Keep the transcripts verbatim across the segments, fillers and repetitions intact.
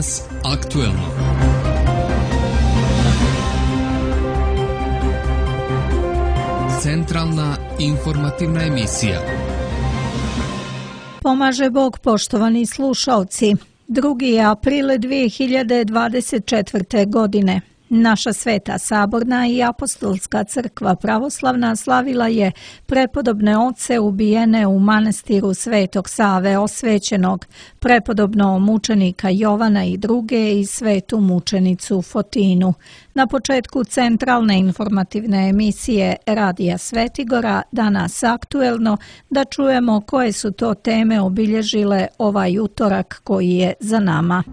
Danas aktuelno. Centralna informativna emisija. Pomaže Bog, poštovani slušalci. drugi je april dvije hiljade dvadeset četvrte. godine. Naša Sveta Saborna i Apostolska crkva pravoslavna slavila je prepodobne oce ubijene u manastiru Svetog Save osvećenog, prepodobno mučenika Jovana i druge i svetu mučenicu Fotinu. Na početku centralne informativne emisije Radija Svetigora, danas aktuelno, da čujemo koje su to teme obilježile ovaj utorak koji je za nama.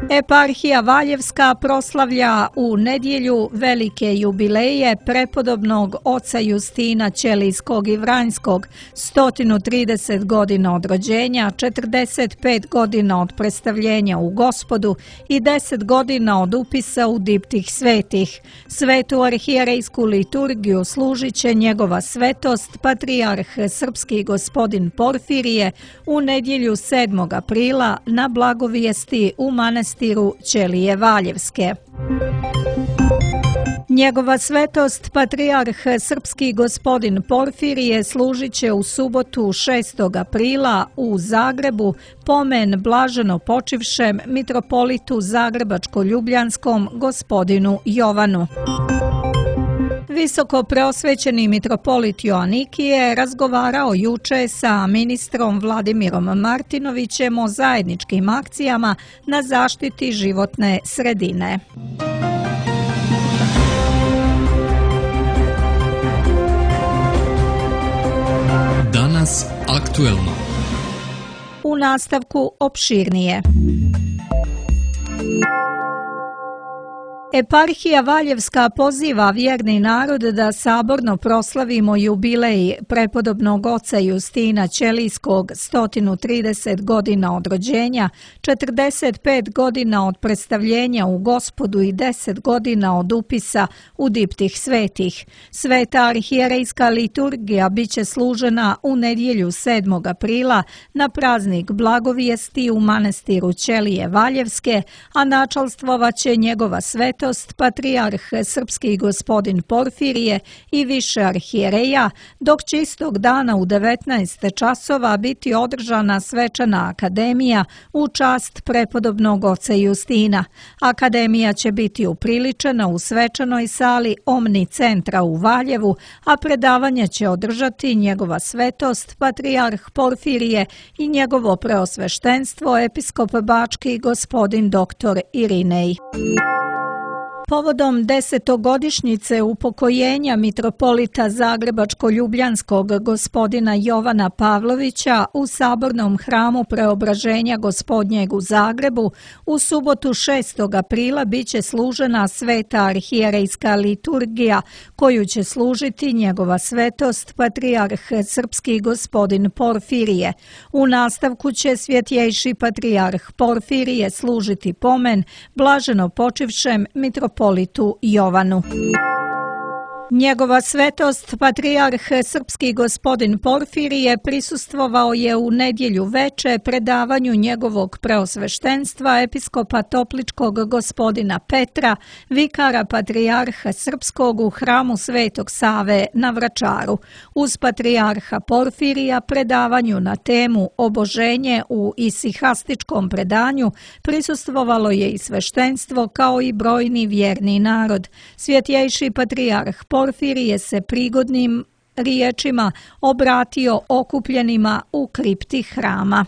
Eparhija Valjevska proslavlja u nedjelju velike jubileje prepodobnog oca Justina Ćelijskog i Vranjskog, sto trideset godina od rođenja, četrdeset pet godina od predstavljenja u Gospodu i deset godina od upisa u diptih svetih. Svetu arhijerejsku liturgiju služit će njegova svetost, patrijarh srpski gospodin Porfirije, u nedjelju sedmog aprila na blagovijesti u manastiru Ćelije Valjevske. Njegova svetost, patrijarh srpski gospodin Porfirije, služit će u subotu šestog aprila u Zagrebu pomen blaženo počivšem mitropolitu zagrebačko-ljubljanskom gospodinu Jovanu. Visoko preosvećeni mitropolit Joanikije razgovarao juče sa ministrom Vladimirom Martinovićem o zajedničkim akcijama na zaštiti životne sredine. Danas aktuelno. U nastavku opširnije. Eparhija Valjevska poziva vjerni narod da saborno proslavimo jubilej prepodobnog oca Justina Ćelijskog, sto trideset godina od rođenja, četrdeset pet godina od predstavljenja u Gospodu i deset godina od upisa u diptih svetih. Sveta arhijerejska liturgija biće služena u nedjelju sedmog aprila na praznik blagovijesti u manastiru Ćelije Valjevske, a načalstvovaće njegova svetost, patrijarh srpski gospodin Porfirije i više arhijereja, dok će istog dana u devetnaest časova biti održana svečana akademija u čast prepodobnog oca Justina. Akademija će biti upriličena u svečanoj sali Omni centra u Valjevu, a predavanje će održati njegova svetost, patrijarh Porfirije i njegovo preosveštenstvo, episkop bački gospodin doktor Irinej. Povodom desetogodišnjice upokojenja mitropolita zagrebačko-ljubljanskog gospodina Jovana Pavlovića u Sabornom hramu Preobraženja Gospodnjeg u Zagrebu u subotu šestog aprila biće služena sveta arhijerejska liturgija koju će služiti njegova svetost, patrijarh srpski gospodin Porfirije. U nastavku će svjetjejši patrijarh Porfirije služiti pomen blaženo počivšem mitropolitu Politu Jovanu. Njegova svetost, patrijarh srpski gospodin Porfirije, prisustvovao je u nedjelju veče predavanju njegovog preosveštenstva episkopa Topličkog gospodina Petra, vikara patrijarha srpskog u hramu Svetog Save na Vračaru. Uz patrijarha Porfirija predavanju na temu Oboženje u isihastičkom predanju prisustvovalo je i sveštenstvo kao i brojni vjerni narod. Svjetjejši patrijarh Porfirije se prigodnim riječima obratio okupljenima u kripti hrama.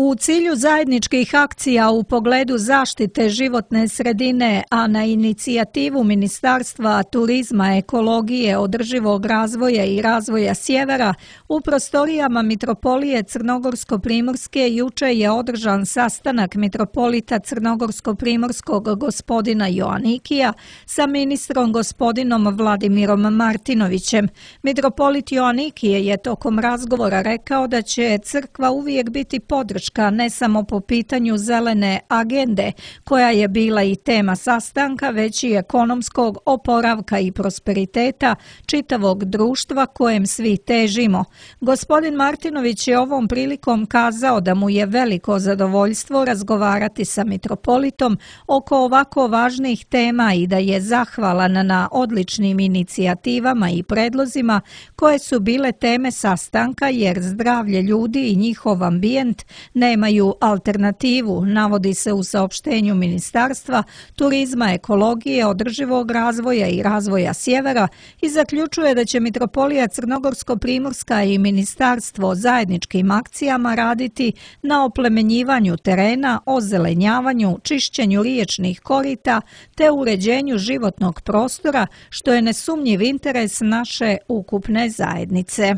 U cilju zajedničkih akcija u pogledu zaštite životne sredine, a na inicijativu Ministarstva turizma, ekologije, održivog razvoja i razvoja sjevera, u prostorijama Mitropolije Crnogorsko-Primorske juče je održan sastanak mitropolita Crnogorsko-Primorskog gospodina Joanikija sa ministrom gospodinom Vladimirom Martinovićem. Mitropolit Joanikije je tokom razgovora rekao da će crkva uvijek biti podrška podrška ne samo po pitanju zelene agende, koja je bila i tema sastanka, već i ekonomskog oporavka i prosperiteta čitavog društva kojem svi težimo. Gospodin Martinović je ovom prilikom kazao da mu je veliko zadovoljstvo razgovarati sa mitropolitom oko ovako važnih tema i da je zahvalan na odličnim inicijativama i predlozima koje su bile teme sastanka, jer zdravlje ljudi i njihov ambijent nemaju alternativu, navodi se u saopštenju Ministarstva turizma, ekologije, održivog razvoja i razvoja sjevera i zaključuje da će Mitropolija Crnogorsko-Primorska i Ministarstvo zajedničkim akcijama raditi na oplemenjivanju terena, ozelenjavanju, čišćenju riječnih korita te uređenju životnog prostora, što je nesumnjiv interes naše ukupne zajednice.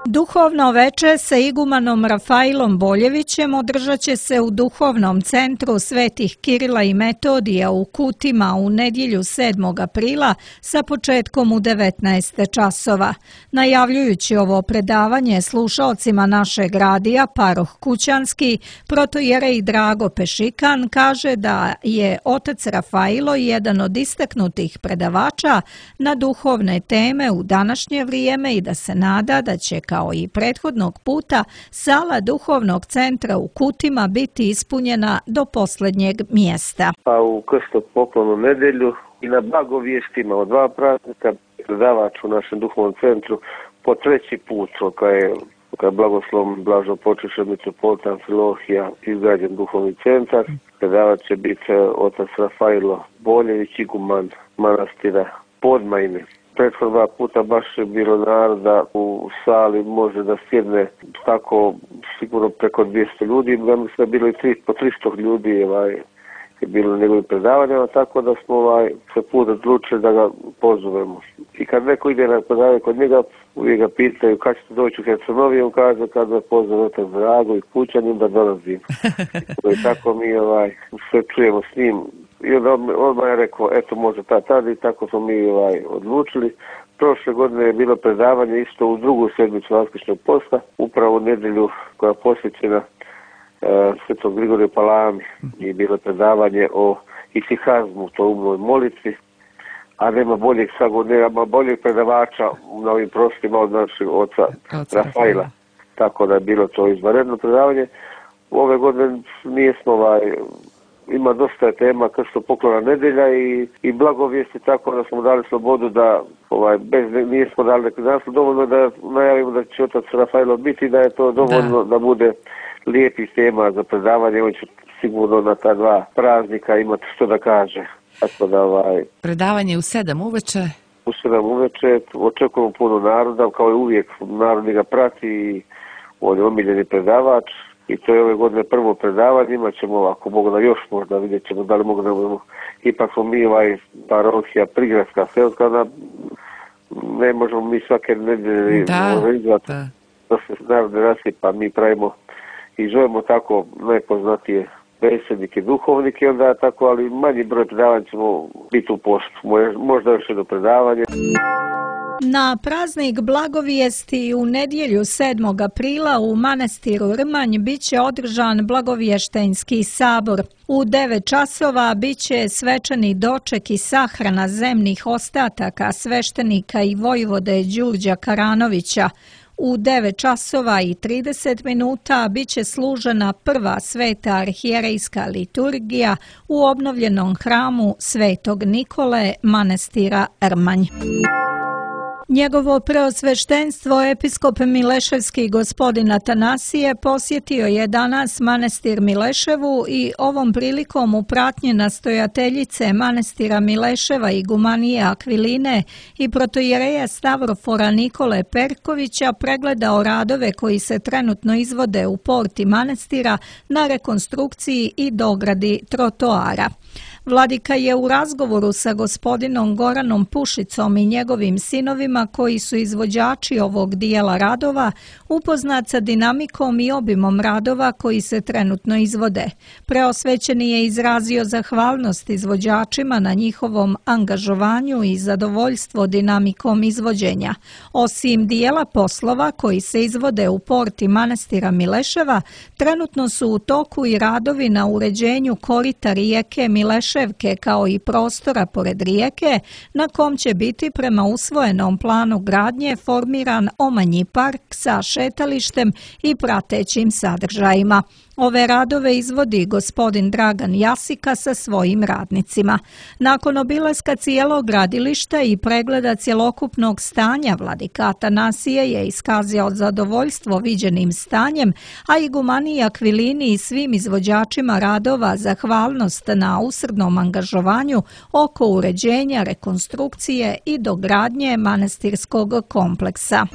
Duhovno veče sa igumanom Rafailom Boljevićem održat će se u Duhovnom centru Svetih Kirila i Metodija u Kutima u nedjelju sedmog aprila sa početkom u devetnaest časova. Najavljujući ovo predavanje slušaocima našeg radija, paroh Kućanski, protojerej Drago Pešikan kaže da je otac Rafailo jedan od istaknutih predavača na duhovne teme u današnje vrijeme i da se nada da će kao i prethodnog puta sala Duhovnog centra u Kutima biti ispunjena do posljednjeg mjesta. Pa u krstopoklonu nedjelju i na blagovijestima od dva praznika predavač u našem Duhovnom centru po treći put, kada je, kada je blagoslovom blažno počešao mitropolita Amfilohija izgrađen Duhovni centar. Predavač će biti otac Rafailo Boljević, iguman manastira Podmajine. Prethodna dva puta baš je bilo naroda u sali, može da sjedne tako sigurno preko dvjesto ljudi, ja mislim da je bilo i tri, po tristo ljudi ovaj, je bilo na njegovim predavanjama, tako da smo ovaj, se put odlučili da ga pozovemo. I kad neko ide na predavanje kod njega, uvijek ga pitaju kad ćete doći u Hercegovini, on kaže kad me pozove otac Drago i Kućanin da dolazim. I tako mi ovaj, sve čujemo s njim. I onda odmah je rekao, eto može ta tada i tako smo mi ovaj, odlučili. Prošle godine je bilo predavanje isto u drugu sedmicu Vaskršnjeg posta, upravo u nedjelju koja je posvećena e, Svetog Grigoriju Palami i bilo predavanje o isihazmu, to umnoj molitvi, a nema boljeg nema boljeg predavača na ovim prostorima od našeg oca Rafaila. Tako da je bilo to izvanredno predavanje. Ove godine nismo ovaj, ima dosta tema krstopoklona nedjelja i, i blagovijesti, tako da smo dali slobodu da ovaj, bez, nismo dali neki naslov, dovoljno da najavimo da će otac Rafailo biti, da je to dovoljno da, da bude lijepih tema za predavanje, on će sigurno na ta dva praznika imati što da kaže. Tako da, ovaj, predavanje u sedam uveče? U sedam uveče, očekujemo puno naroda, kao i uvijek narod ga prati i on je omiljeni predavač. I to je ove godine prvo predavanje, imat ćemo, ako mogu da još možda vidjet ćemo da li mogu da budemo, ipak smo mi ovaj parohija prigradska selska, da ne možemo mi svake nedjelje organizovati da. da se narod ne rasipa, mi pravimo i zovemo tako najpoznatije predsjednike, duhovnike, onda tako, ali manji broj predavanja ćemo biti u postu, možda još jedno predavanje. Na praznik blagovijesti u nedjelju sedmog aprila u manastiru Rmanj bit će održan blagovještenski sabor. U devet časova bit će svečani doček i sahrana zemnih ostataka sveštenika i vojvode Đurđa Karanovića. U devet časova i trideset minuta bit će služena prva sveta arhijerejska liturgija u obnovljenom hramu Svetog Nikole manastira Rmanj. Njegovo preosveštenstvo episkop Mileševski gospodin Atanasije posjetio je danas manastir Mileševu i ovom prilikom u pratnji nastojateljice manastira Mileševa i gumanije Akviline i protojereja Stavrofora Nikole Perkovića pregledao radove koji se trenutno izvode u porti manastira na rekonstrukciji i dogradi trotoara. Vladika je u razgovoru sa gospodinom Goranom Pušicom i njegovim sinovima, koji su izvođači ovog dijela radova, upoznat sa dinamikom i obimom radova koji se trenutno izvode. Preosvećeni je izrazio zahvalnost izvođačima na njihovom angažovanju i zadovoljstvo dinamikom izvođenja. Osim dijela poslova koji se izvode u porti manastira Mileševa, trenutno su u toku i radovi na uređenju korita rijeke Mileševke kao i prostora pored rijeke, na kom će biti prema usvojenom planu gradnje formiran omanji park sa šetalištem i pratećim sadržajima. Ove radove izvodi gospodin Dragan Jasika sa svojim radnicima. Nakon obilaska cijelog gradilišta i pregleda cjelokupnog stanja, vladika Atanasije je iskazao zadovoljstvo viđenim stanjem, a igumaniji Akvilini i svim izvođačima radova zahvalnost na usrdnom angažovanju oko uređenja, rekonstrukcije i dogradnje manastirskog kompleksa.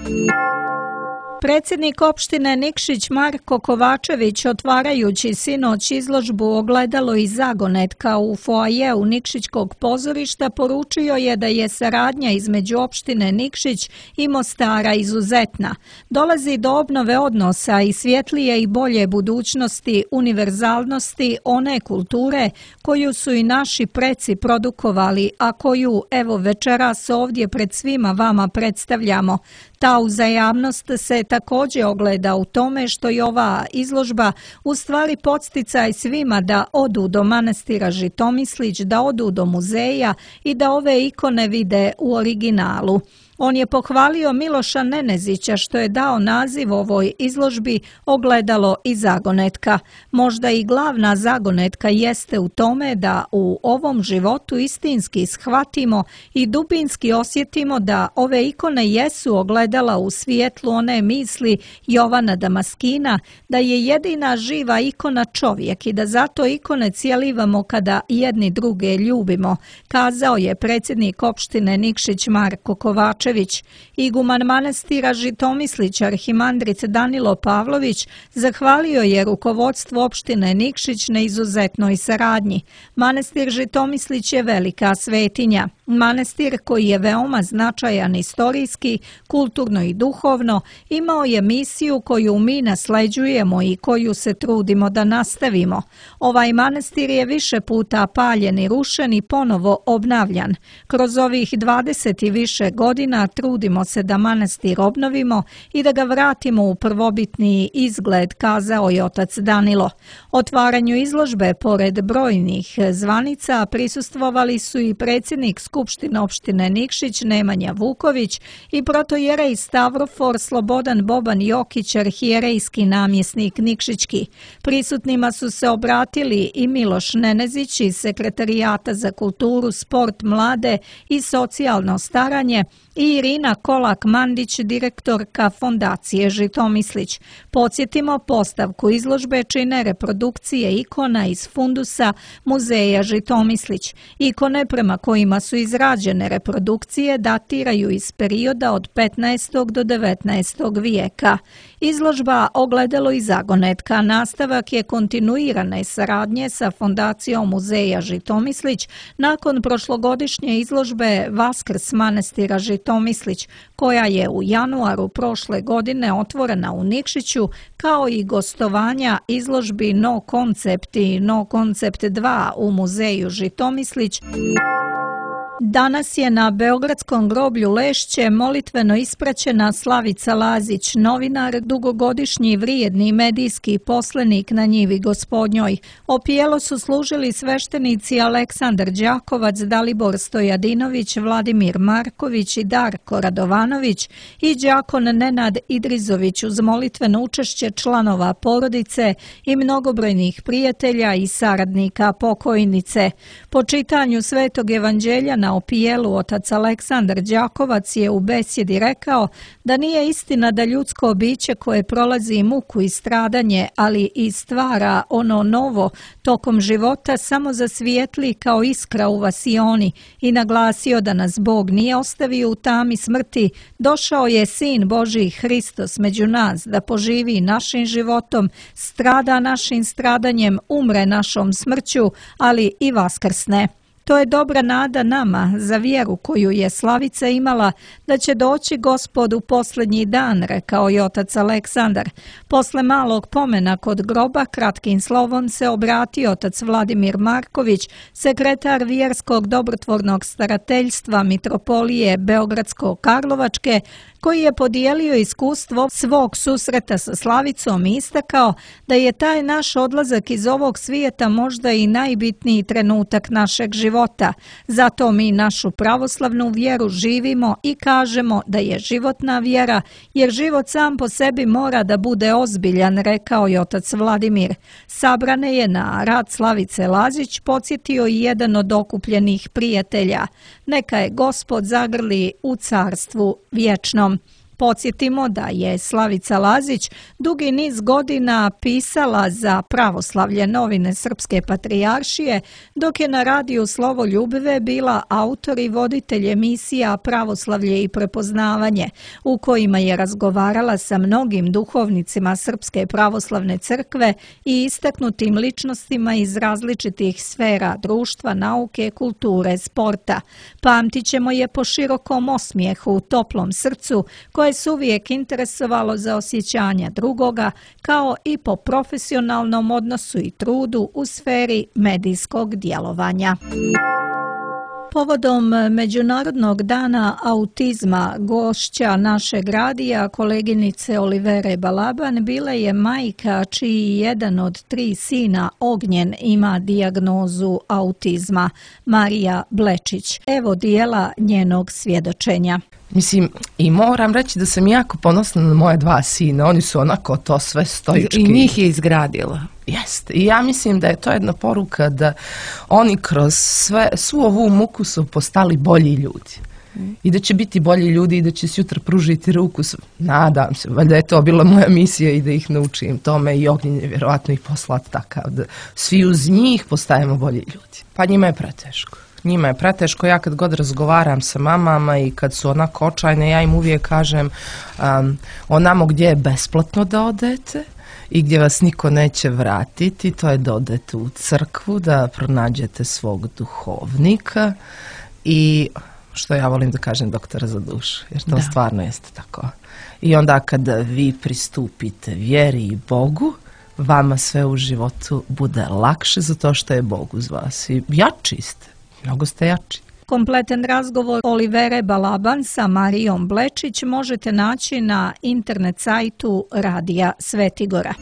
Predsjednik opštine Nikšić Marko Kovačević, otvarajući sinoć izložbu Ogledalo iz zagonetka u foajeu Nikšićkog pozorišta, poručio je da je saradnja između opštine Nikšić i Mostara izuzetna. Dolazi do obnove odnosa i svjetlije i bolje budućnosti, univerzalnosti one kulture koju su i naši preci produkovali, a koju evo večeras ovdje pred svima vama predstavljamo. Ta uzajamnost se također ogleda u tome što je ova izložba u stvari podsticaj svima da odu do manastira Žitomislić, da odu do muzeja i da ove ikone vide u originalu. On je pohvalio Miloša Nenezića što je dao naziv ovoj izložbi Ogledalo i zagonetka. Možda i glavna zagonetka jeste u tome da u ovom životu istinski shvatimo i dubinski osjetimo da ove ikone jesu ogledala u svijetlu one misli Jovana Damaskina, da je jedina živa ikona čovjek i da zato ikone cijelivamo kada jedni druge ljubimo, kazao je predsjednik opštine Nikšić Marko Kovačević. Iguman manastira Žitomislić arhimandrit Danilo Pavlović zahvalio je rukovodstvu opštine Nikšić na izuzetnoj saradnji. Manastir Žitomislić je velika svetinja. Manastir koji je veoma značajan istorijski, kulturno i duhovno, imao je misiju koju mi nasleđujemo i koju se trudimo da nastavimo. Ovaj manastir je više puta paljen i rušen i ponovo obnavljan. Kroz ovih dvadeset i više godina trudimo se da manastir obnovimo i da ga vratimo u prvobitni izgled, kazao je otac Danilo. Otvaranju izložbe pored brojnih zvanica prisustvovali su i predsjednik Skupštine opštine Nikšić Nemanja Vuković i protojerej Stavrofor Slobodan Boban Jokić, arhijerejski namjesnik Nikšićki. Prisutnima su se obratili i Miloš Nenezić iz Sekretarijata za kulturu, sport, mlade i socijalno staranje i Irina Kolak-Mandić, direktorka Fondacije Žitomislić. Podsjetimo, postavku izložbe čine reprodukcije ikona iz fundusa Muzeja Žitomislić. Ikone prema kojima su izrađene reprodukcije datiraju iz perioda od petnaestog do devetnaestog vijeka. Izložba Ogledalo i zagonetka nastavak je kontinuirane saradnje sa Fondacijom Muzeja Žitomislić nakon prošlogodišnje izložbe Vaskrs manastira Žitomislić, koja je u januaru prošle godine otvorena u Nikšiću, kao i gostovanja izložbi No Koncept i No Koncept dva u Muzeju Žitomislić. Danas je na beogradskom groblju Lešće molitveno ispraćena Slavica Lazić, novinar, dugogodišnji vrijedni medijski poslenik na njivi Gospodnjoj. Opijelo su služili sveštenici Aleksandar Đakovac, Dalibor Stojadinović, Vladimir Marković i Darko Radovanović i đakon Nenad Idrizović uz molitveno učešće članova porodice i mnogobrojnih prijatelja i saradnika pokojnice. Po čitanju Svetog evanđelja na opijelu otac Aleksandar Đakovac je u besjedi rekao da nije istina da ljudsko biće koje prolazi muku i stradanje, ali i stvara ono novo tokom života, samo zasvijetli kao iskra u vasioni i naglasio da nas Bog nije ostavio u tami smrti, došao je Sin Božji Hristos među nas da poživi našim životom, strada našim stradanjem, umre našom smrću, ali i vaskrsne. To je dobra nada nama za vjeru koju je Slavica imala da će doći Gospod u posljednji dan, rekao je otac Aleksandar. Posle malog pomena kod groba kratkim slovom se obratio otac Vladimir Marković, sekretar vjerskog dobrotvornog starateljstva Mitropolije Beogradsko-Karlovačke, koji je podijelio iskustvo svog susreta sa Slavicom i istakao da je taj naš odlazak iz ovog svijeta možda i najbitniji trenutak našeg života. Zato mi našu pravoslavnu vjeru živimo i kažemo da je životna vjera, jer život sam po sebi mora da bude ozbiljan, rekao je otac Vladimir. Sabrane je na rad Slavice Lazić podsjetio i jedan od okupljenih prijatelja. Neka je Gospod zagrli u carstvu vječnom. Podsjetimo da je Slavica Lazić dugi niz godina pisala za Pravoslavlje, novine Srpske patrijaršije, dok je na radiju Slovo Ljubive bila autor i voditelj emisija Pravoslavlje i prepoznavanje, u kojima je razgovarala sa mnogim duhovnicima Srpske pravoslavne crkve i istaknutim ličnostima iz različitih sfera društva, nauke, kulture, sporta. Pamtit ćemo je po širokom osmijehu, toplom srcu, koje se uvijek interesovalo za osjećanja drugoga, kao i po profesionalnom odnosu i trudu u sferi medijskog djelovanja. Povodom Međunarodnog dana autizma gošća našeg radija, koleginice Olivere Balaban, bila je majka čiji jedan od tri sina, Ognjen, ima dijagnozu autizma, Marija Blečić. Evo dijela njenog svjedočenja. Mislim, i moram reći da sam jako ponosna na moje dva sina, oni su onako to sve stoički. I njih je izgradila. Jeste, i ja mislim da je to jedna poruka da oni kroz sve, svu ovu muku su postali bolji ljudi. Mm. I da će biti bolji ljudi i da će sutra pružiti ruku. Nadam se, valjda je to bila moja misija i da ih naučim tome i Ognjen je vjerovatno i poslat takav da svi uz njih postajemo bolji ljudi. Pa njima je preteško. Njima je preteško, ja kad god razgovaram sa mamama i kad su onako očajne, ja im uvijek kažem um, onamo gdje je besplatno da odete i gdje vas niko neće vratiti, to je da odete u crkvu, da pronađete svog duhovnika i, što ja volim da kažem, doktora za dušu, jer to da. Stvarno jeste tako. I onda kada vi pristupite vjeri i Bogu, vama sve u životu bude lakše zato što je Bog uz vas i jači ste. Mnogo ste jači. Kompletan razgovor Olivere Balaban sa Marijom Blečić možete naći na internet sajtu Radija Svetigora.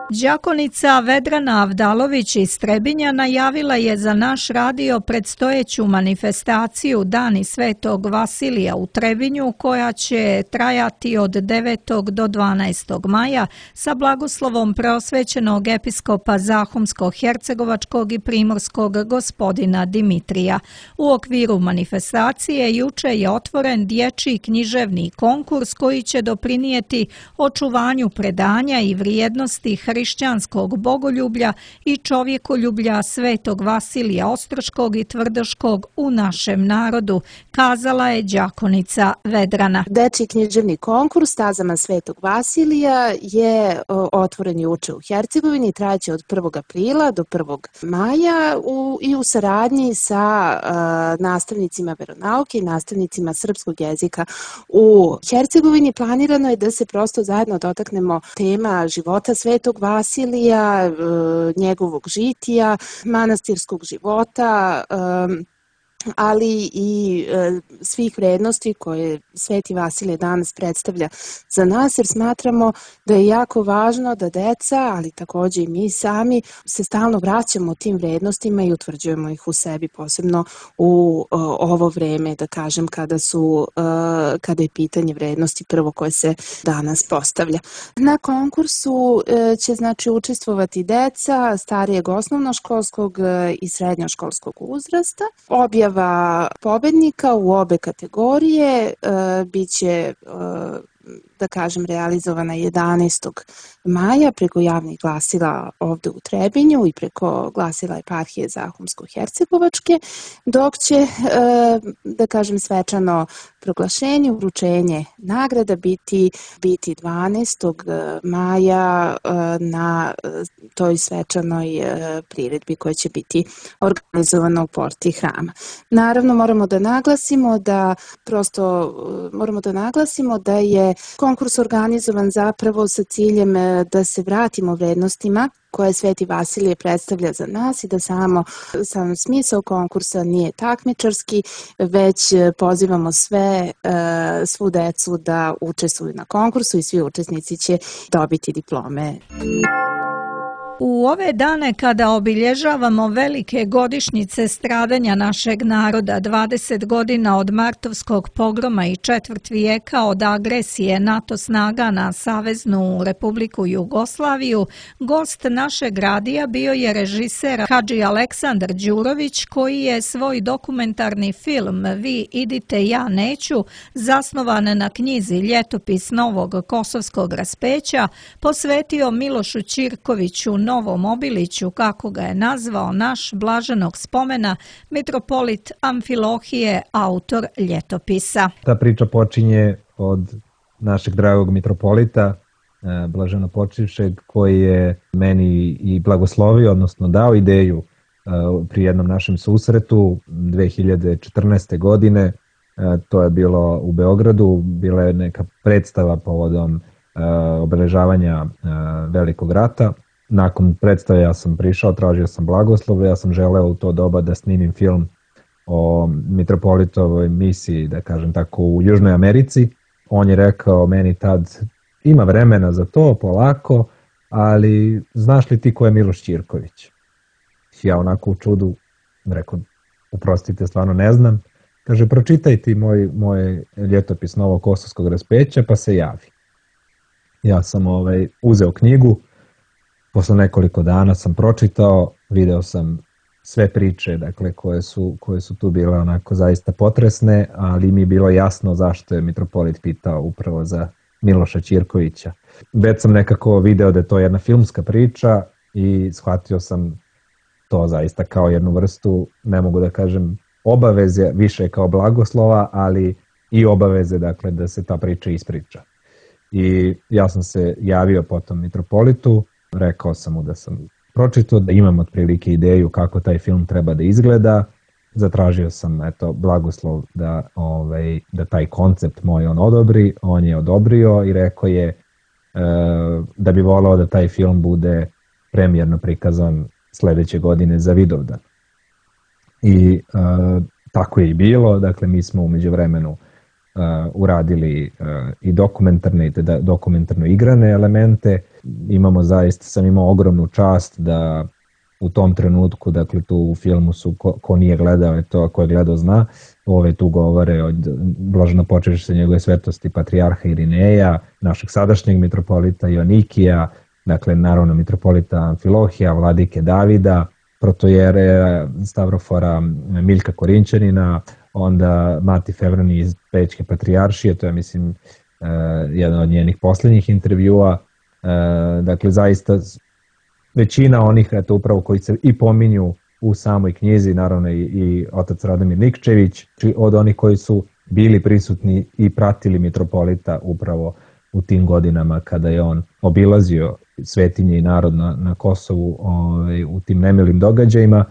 Đakonica Vedrana Avdalović iz Trebinja najavila je za naš radio predstojeću manifestaciju Dani Svetog Vasilija u Trebinju, koja će trajati od devetog do dvanaestog maja sa blagoslovom preosvećenog episkopa Zahumsko-hercegovačkog i primorskog gospodina Dimitrija. U okviru manifestacije juče je otvoren dječji književni konkurs koji će doprinijeti očuvanju predanja i vrijednosti hrišćanskog bogoljublja i čovjekoljublja Svetog Vasilija Ostroškog i Tvrdoškog u našem narodu, kazala je đakonica Vedrana. Dečji književni konkurs Stazama Svetog Vasilija je otvoren juče u Hercegovini, trajaće od prvog aprila do prvog maja u, i u saradnji sa uh, nastavnicima veronauke i nastavnicima srpskog jezika u Hercegovini. Planirano je da se prosto zajedno dotaknemo tema života Svetog Vasilija, njegovog žitija, manastirskog života, ali i e, svih vrednosti koje Sveti Vasilije danas predstavlja za nas, jer smatramo da je jako važno da deca, ali također i mi sami, se stalno vraćamo tim vrednostima i utvrđujemo ih u sebi, posebno u o, ovo vreme, da kažem, kada su e, kada je pitanje vrednosti prvo koje se danas postavlja. Na konkursu e, će znači učestvovati deca starijeg osnovnoškolskog i srednjoškolskog uzrasta. Objava objava pobednika u obe kategorije bit će, da kažem, realizovana jedanaestog maja preko javnih glasila ovde u Trebinju i preko glasila eparhije Zahumsko-Hercegovačke, dok će, da kažem, svečano proglašenje, uručenje nagrada biti, biti dvanaestog maja na toj svečanoj priredbi koja će biti organizovana u porti hrama. Naravno, moramo da naglasimo da prosto moramo da naglasimo da je konkurs organizovan zapravo sa ciljem da se vratimo vrednostima koje Sveti Vasilije predstavlja za nas i da samo sam smisao konkursa nije takmičarski, već pozivamo sve, svu decu da učestvuju na konkursu i svi učesnici će dobiti diplome. U ove dane kada obilježavamo velike godišnjice stradanja našeg naroda, dvadeset godina od martovskog pogroma i četvrt vijeka od agresije NATO snaga na Saveznu Republiku Jugoslaviju, gost našeg radija bio je režiser Hadži Aleksandar Đurović, koji je svoj dokumentarni film Vi idite, ja neću, zasnovan na knjizi Ljetopis novog kosovskog raspeća, posvetio Milošu Ćirkoviću, Novom Obiliću, kako ga je nazvao naš blaženog spomena, mitropolit Amfilohije, autor ljetopisa. Ta priča počinje od našeg dragog mitropolita, blaženopočivšeg, koji je meni i blagoslovio, odnosno dao ideju pri jednom našem susretu dve hiljade četrnaeste. godine. To je bilo u Beogradu, bila je neka predstava povodom obeležavanja Velikog rata. Nakon predstave ja sam prišao, tražio sam blagoslov, ja sam želeo u to doba da snimim film o mitropolitovoj misiji, da kažem tako, u Južnoj Americi. On je rekao meni tad, ima vremena za to, polako, ali znaš li ti ko je Miloš Ćirković? Ja onako u čudu rekao, uprostite, stvarno ne znam. Kaže, pročitaj ti moj, moj ljetopis novog kosovskog raspeća pa se javi. Ja sam ovaj, uzeo knjigu, posle nekoliko dana sam pročitao, video sam sve priče, dakle, koje su, koje su tu bile onako zaista potresne, ali mi je bilo jasno zašto je mitropolit pitao upravo za Miloša Ćirkovića. Već sam nekako video da je to jedna filmska priča i shvatio sam to zaista kao jednu vrstu, ne mogu da kažem obaveze, više kao blagoslova, ali i obaveze, dakle, da se ta priča ispriča. I ja sam se javio potom mitropolitu, rekao sam mu da sam pročitao, da imam otprilike ideju kako taj film treba da izgleda. Zatražio sam eto, blagoslov da, ovaj, da taj koncept moj on odobri. On je odobrio i rekao je e, da bi volao da taj film bude premijerno prikazan sledeće godine za Vidovdan. I e, tako je i bilo. Dakle, mi smo umeđu vremenu Uh, uradili uh, i dokumentarne i da, dokumentarno igrane elemente. Imamo zaista, sam imao ogromnu čast da u tom trenutku, dakle tu u filmu su, ko, ko nije gledao je to, ko je gledao zna, ove tu govore od blaženopočivše njegove svetosti patrijarha Irineja, našeg sadašnjeg mitropolita Joanikija, dakle naravno mitropolita Amfilohija, vladike Davida, protojere Stavrofora Miljka Korinćanina, onda Mati Fevrani iz Pećke patrijaršije, to je mislim uh, jedan od njenih posljednjih intervjua. Uh, dakle, zaista većina onih, eto upravo koji se i pominju u samoj knjizi, naravno i, i otac Radomir Nikčević, od onih koji su bili prisutni i pratili mitropolita upravo u tim godinama kada je on obilazio svetinje i narod na, na Kosovu ovaj, u tim nemilim događajima.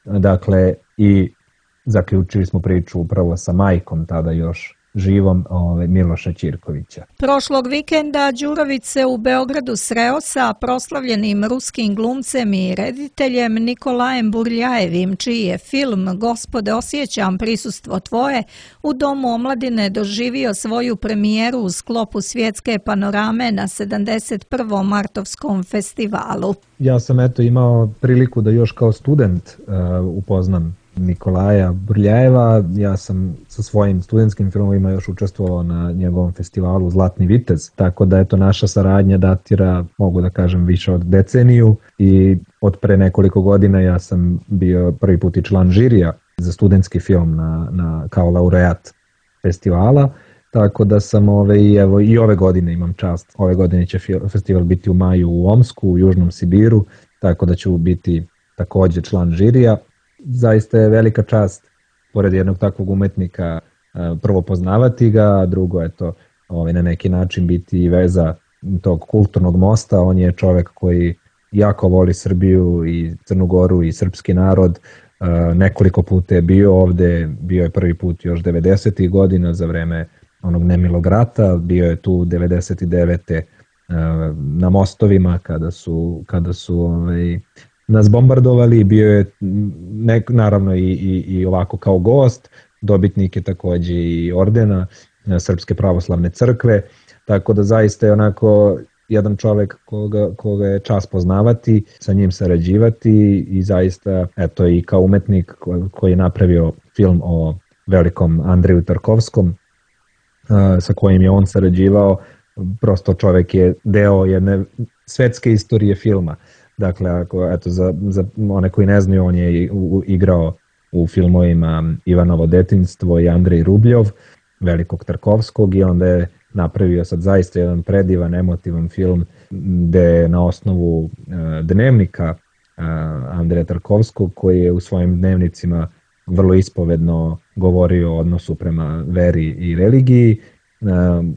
Dakle, i zaključili smo priču upravo sa majkom, tada još živom, ove, Miloša Ćirkovića. Prošlog vikenda Đurović se u Beogradu sreo sa proslavljenim ruskim glumcem i rediteljem Nikolajem Burljajevim, čiji je film Gospode, osjećam prisustvo tvoje u Domu omladine doživio svoju premijeru u sklopu svjetske panorame na sedamdeset prvom martovskom festivalu. Ja sam eto imao priliku da još kao student uh, upoznam Nikolaja Burljajeva. Ja sam sa svojim studentskim filmovima još učestvovao na njegovom festivalu Zlatni vitez, tako da eto naša saradnja datira, mogu da kažem, više od deceniju i od pre nekoliko godina ja sam bio prvi put i član žirija za studentski film na, na, kao laureat festivala. Tako da sam ove, evo, i ove godine imam čast. Ove godine će festival biti u maju u Omsku, u Južnom Sibiru, tako da ću biti takođe član žirija. Zaista je velika čast, pored jednog takvog umetnika, prvo poznavati ga, a drugo je to ovaj, na neki način biti veza tog kulturnog mosta. On je čovek koji jako voli Srbiju i Crnu Goru i srpski narod. Nekoliko puta je bio ovde, bio je prvi put još devedesetih godina za vreme onog nemilog rata, bio je tu devedeset devete na mostovima kada su, kada su ovaj, nas bombardovali, bio je nek, naravno i, i, i ovako kao gost, dobitnik je takođe i ordena Srpske pravoslavne crkve, tako da zaista je onako jedan čovek koga, koga je čast poznavati, sa njim sarađivati i zaista, eto i kao umetnik koji je napravio film o velikom Andreju Tarkovskom, sa kojim je on sarađivao, prosto čovek je deo jedne svetske istorije filma. Dakle, ako, eto, za, za one koji ne znaju, on je igrao u filmovima Ivanovo detinjstvo i Andrej Rubljov, velikog Tarkovskog, i onda je napravio sad zaista jedan predivan, emotivan film gde je na osnovu uh, dnevnika uh, Andreja Tarkovskog, koji je u svojim dnevnicima vrlo ispovedno govorio o odnosu prema veri i religiji. Uh,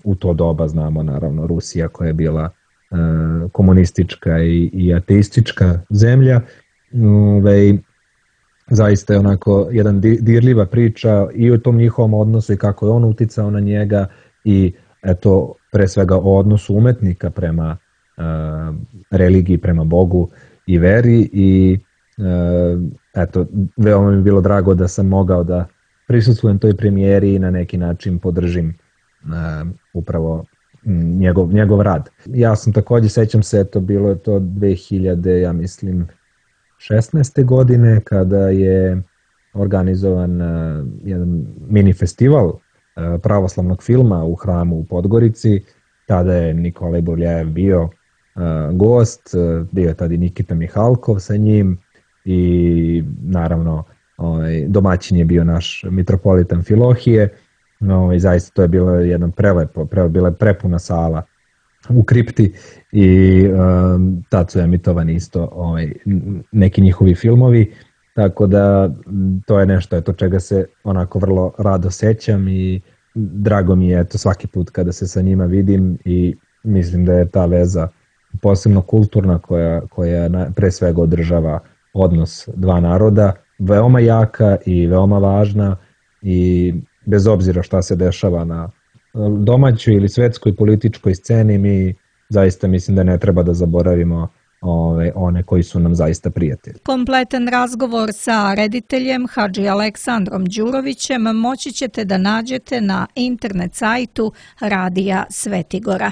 u to doba znamo naravno Rusija koja je bila uh, komunistička i, i ateistička zemlja. Uh, zaista je onako jedan dirljiva priča i o tom njihovom odnosu i kako je on uticao na njega i eto pre svega o odnosu umetnika prema uh, religiji, prema Bogu i veri i uh, eto veoma mi je bilo drago da sam mogao da prisustvujem toj premijeri i na neki način podržim uh, upravo njegov, njegov rad. Ja sam takođe, sećam se, eto bilo je to dve hiljade, ja mislim, šesnaeste godine kada je organizovan uh, jedan mini festival uh, pravoslavnog filma u hramu u Podgorici. Tada je Nikolaj Bovljajev bio uh, gost, uh, bio je tada i Nikita Mihalkov sa njim i naravno ovaj, domaćin je bio naš mitropolita Amfilohije. Ovaj, zaista to je bilo jedan prelepo, pre, bila je prepuna sala u kripti i um, tad su emitovani isto ovaj, neki njihovi filmovi, tako da to je nešto eto, čega se onako vrlo rado sećam i drago mi je eto, svaki put kada se sa njima vidim i mislim da je ta veza posebno kulturna koja, koja na, pre svega održava odnos dva naroda, veoma jaka i veoma važna i bez obzira šta se dešava na domaćoj ili svetskoj političkoj sceni, mi zaista mislim da ne treba da zaboravimo ove, one koji su nam zaista prijatelji. Kompletan razgovor sa rediteljem Hadži Aleksandrom Đurovićem moći ćete da nađete na internet sajtu Radija Svetigora.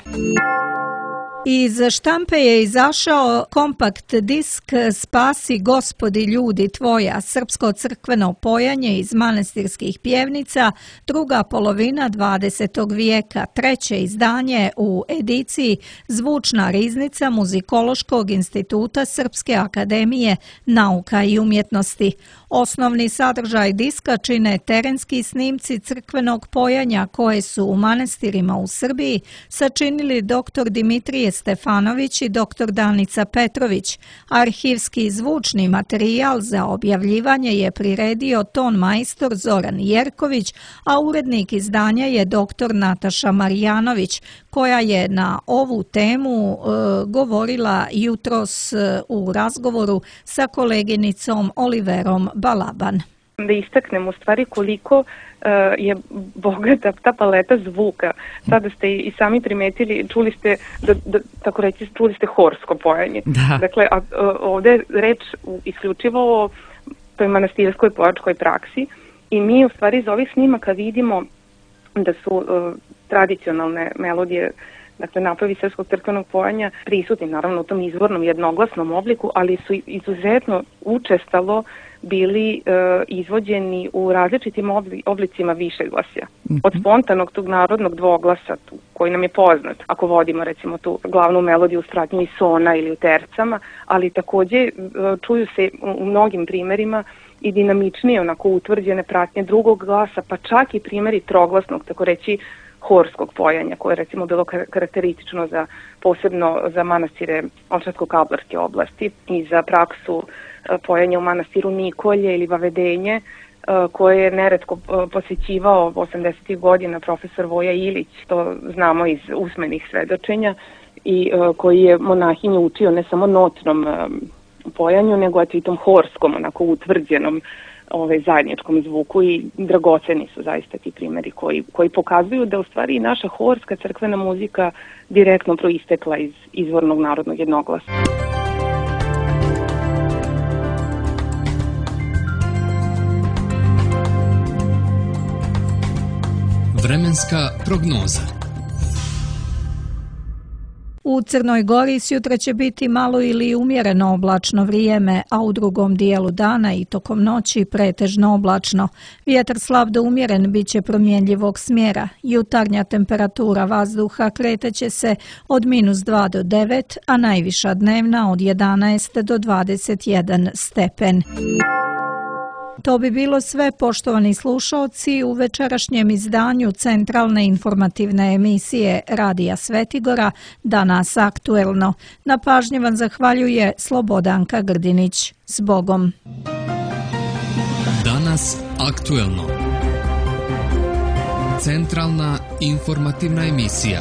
Iz štampe je izašao kompakt disk Spasi Gospodi ljudi tvoja, srpsko crkveno pojanje iz manastirskih pjevnica, druga polovina dvadesetog vijeka, treće izdanje u ediciji Zvučna riznica Muzikološkog instituta Srpske akademije nauka i umjetnosti. Osnovni sadržaj diska čine terenski snimci crkvenog pojanja koje su u manastirima u Srbiji sačinili doktor Dimitrije Stefanović i doktor Danica Petrović. Arhivski zvučni materijal za objavljivanje je priredio ton majstor Zoran Jerković, a urednik izdanja je doktor Nataša Marijanović, koja je na ovu temu e, govorila jutros e, u razgovoru sa koleginicom Oliverom Balaban. Da istaknem u stvari koliko uh, je bogata ta paleta zvuka. Sada ste i sami primetili, čuli ste, da, da, tako reći, čuli ste horsko pojanje. Da. Dakle, a, a, ovde je reč isključivo o toj manastirskoj pojačkoj praksi i mi u stvari iz ovih snimaka vidimo da su uh, tradicionalne melodije, dakle napravi srpskog crkvenog pojanja prisutni naravno u tom izvornom jednoglasnom obliku, ali su izuzetno učestalo bili e, izvođeni u različitim obli, oblicima višeglasja. Od spontanog tog narodnog dvoglasa tu, koji nam je poznat, ako vodimo recimo tu glavnu melodiju u spratnju i sona ili u tercama, ali takođe e, čuju se u mnogim primerima i dinamičnije, onako utvrđene pratnje drugog glasa, pa čak i primjeri troglasnog, tako reći, horskog pojanja, koje je recimo bilo karakteristično za, posebno za manastire Ovčarsko-Kablarske oblasti i za praksu pojanja u manastiru Nikolje ili Vavedenje, koje je neretko posjećivao osamdesetih godina profesor Voja Ilić, to znamo iz usmenih svedočenja, i koji je monahinju učio ne samo notnom pojanju, nego i tom horskom, onako utvrđenom ovaj, zajedničkom zvuku, i dragoceni su zaista ti primjeri koji, koji pokazuju da u stvari naša horska crkvena muzika direktno proistekla iz izvornog narodnog jednoglasa. Vremenska prognoza. U Crnoj Gori sjutra će biti malo ili umjereno oblačno vrijeme, a u drugom dijelu dana i tokom noći pretežno oblačno. Vjetar slab do umjeren bit će promjenjivog smjera. Jutarnja temperatura vazduha kreteće se od minus dva do devet, a najviša dnevna od jedanaest do dvadeset jedan stepen. To bi bilo sve, poštovani slušaoci, u večerašnjem izdanju centralne informativne emisije Radija Svetigora, Danas aktuelno. Na pažnji vam zahvaljuje Slobodanka Grdinić. S Bogom. Danas aktuelno. Centralna informativna emisija.